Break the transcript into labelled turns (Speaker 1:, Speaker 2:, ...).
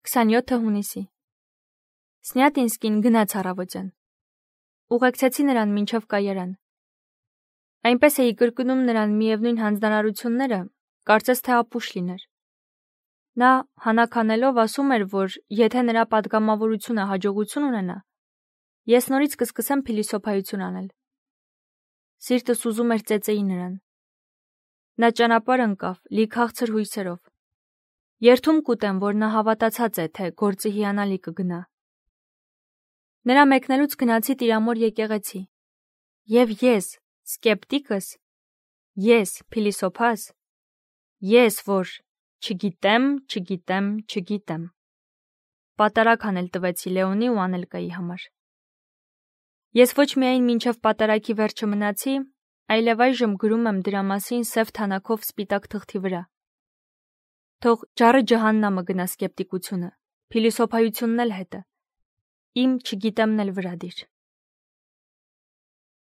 Speaker 1: 27 հունիսի Սնյատինսկին գնաց առավոտյան։ Ուղեկցեցի նրան մինչև կայարան։ Այնպես էի կրկնում նրան միևնույն հանձնարարությունները, կարծես թե ապուշ լիներ։ Նա հանաքանելով ասում էր, որ եթե նրա պատգամավորությունը հաջողություն ունենա, ես նորից կսկսեմ փիլիսոփայություն անել։ Սիրտս ուզում էր ծեծեի նրան։ Նա ճանապարհ ընկավ լի քաղցր հույսերով։ Երդում կուտեմ, որ նա հավատացած է, թե գործը հիանալի կգնա։ Նրա մեկնելուց գնացի Տիրամոր եկեղեցի։ Եվ ես, սկեպտիկս, ես, փիլիսոփաս, ես, որ չգիտեմ, պատարագ անել տվեցի Լեոնի ու Անելկայի համար։ Ես ոչ միայն մինչև պատարագի վերջը մնացի, այլև այժմ գրում եմ դրա մասին սև թանաքով սպիտակ թղթի վրա։ Թող ջառը ջահաննամը գնա սկեպտիկությունը, փիլիսոփայությունն էլ հետը, իմ չգիտեմն էլ վրա դիր։